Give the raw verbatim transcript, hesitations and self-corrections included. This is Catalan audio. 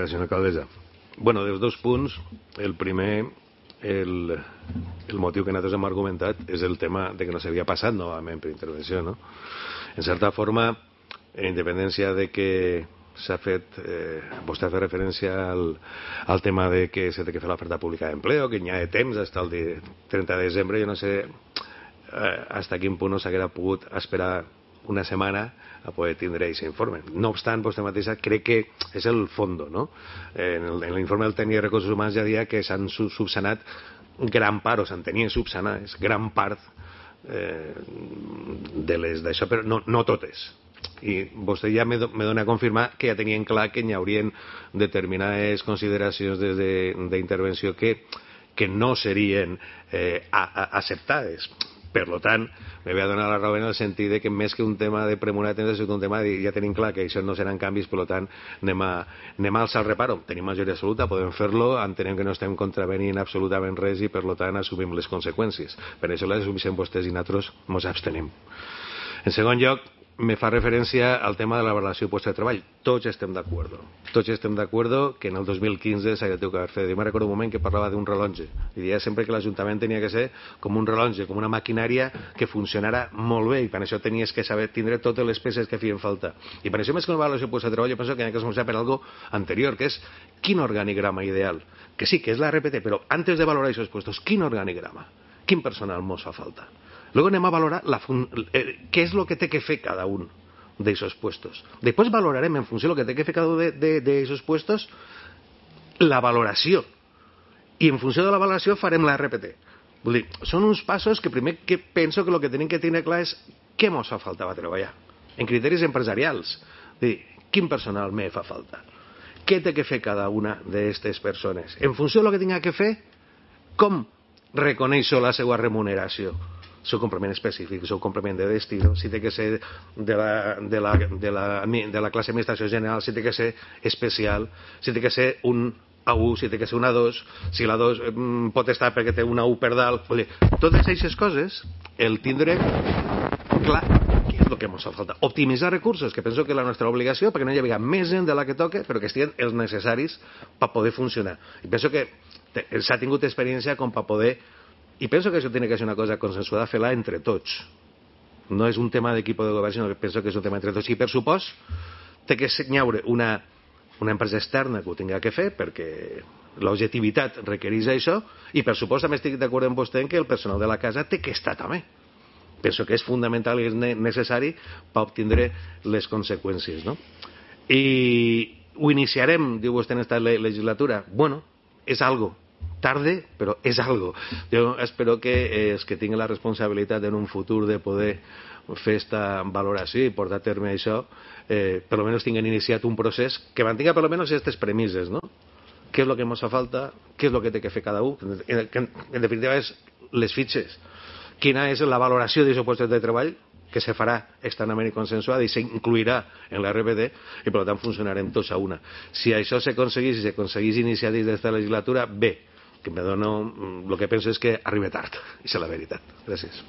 Senyora alcaldessa, bueno, dels dos punts, el primer, el, el motiu que nosaltres hem argumentat és el tema de que no s'havia passat novament per intervenció, no? En certa forma, en independència de que s'ha fet, eh, vostè ha fet referència al, al tema de que s'ha de fer l'oferta pública d'empleo, que n'hi ha de temps fins al trenta de desembre, jo no sé eh, fins a quin punt no s'haguera pogut esperar una setmana a poder tindre aquest informe. No obstant, vostè mateixa crec que és el fondo, no? En l'informe del tècnic de recursos humans ja deia que s'han subsanat gran part, o s'en tenien subsanades gran part eh, de les d'això, però no, no totes. I vostè ja me dona a confirmar que ja tenien clar que hi haurien determinades consideracions d'intervenció que, que no serien eh, a, a, acceptades. Per tant, me ve a donar la raó en el sentit de que més que un tema de premura de temps és un tema de ja tenim clar que això no seran canvis, per tant anem a, anem a alçar el reparo. Tenim majoria absoluta, podem fer-lo, entenem que no estem contravenint absolutament res i per tant assumim les conseqüències. Per això les assumeixen vostès i nosaltres ens abstenim. En segon lloc, me fa referència al tema de la valoració de puestos de treball. Tots estem d'acord. Tots estem d'acord que en el dos mil quinze s'ha de haver fet. Jo me recordo un moment que parlava d'un rellotge. I deia sempre que l'Ajuntament tenia que ser com un rellotge, com una maquinària que funcionara molt bé i per això tenies que saber tindre totes les peces que feien falta. I per això més que una valoració de puestos de treball jo penso que hi ha que començar per algo anterior, que és quin organigrama ideal. Que sí, que és la R P T, però antes de valorar aquests puestos, quin organigrama? Quin personal mos fa falta? Luego anem a valorar la eh, què és el que té que fer cada un d'aquests puestos. Després valorarem en funció del que té que fer cada un d'aquests puestos la valoració. I en funció de la valoració farem la R P T. Vull dir, són uns passos que primer que penso que el que tenim que tenir clar és què mos fa falta per treballar. En criteris empresarials. Vull dir, quin personal me fa falta? Què té que fer cada una d'aquestes persones? En funció del que tinga que fer, com reconeixo la seva remuneració? El seu complement específic, el seu complement de destino, si té que ser de la, de, la, de, la, de la classe d'administració general, si té que ser especial, si té que ser un A u, si té que ser una A dos, si la dos mm, pot estar perquè té una A u per dalt. Vull dir, totes aquestes coses, el tindre clar què és el que ens fa falta. Optimitzar recursos, que penso que és la nostra obligació, perquè no hi havia més gent de la que toca, però que estiguin els necessaris per poder funcionar. I penso que s'ha tingut experiència com per poder. I penso que això té que ser una cosa consensuada, fer-la entre tots. No és un tema d'equip de govern, sinó que penso que és un tema entre tots. I per supost, té que hi haure una, una empresa externa que ho tingui que fer, perquè l'objectivitat requereix això, i per supost també estic d'acord amb vostè en que el personal de la casa té que estar també. Penso que és fundamental i és necessari per obtindre les conseqüències, no? I ho iniciarem, diu vostè, en aquesta legislatura. Bueno, és algo. Tarde, però és algo. Jo espero que els que tinguin la responsabilitat en un futur de poder fer aquesta valoració i portar a terme això, eh, per almenys tinguin iniciat un procés que mantinga per almenys aquestes premisses, no? Què és el que ens fa falta? Què és el que té que fer cada un? En, en, en definitiva, és les fitxes. Quina és la valoració d'aquests llocs de treball que se farà externament i consensuada i s'incluirà en la R P T i per tant funcionarem tots a una. Si això s'aconseguís, si s'aconseguís iniciar des d'esta legislatura, bé, que me dono, el que penso és que arriba tard, i és la veritat. Gràcies.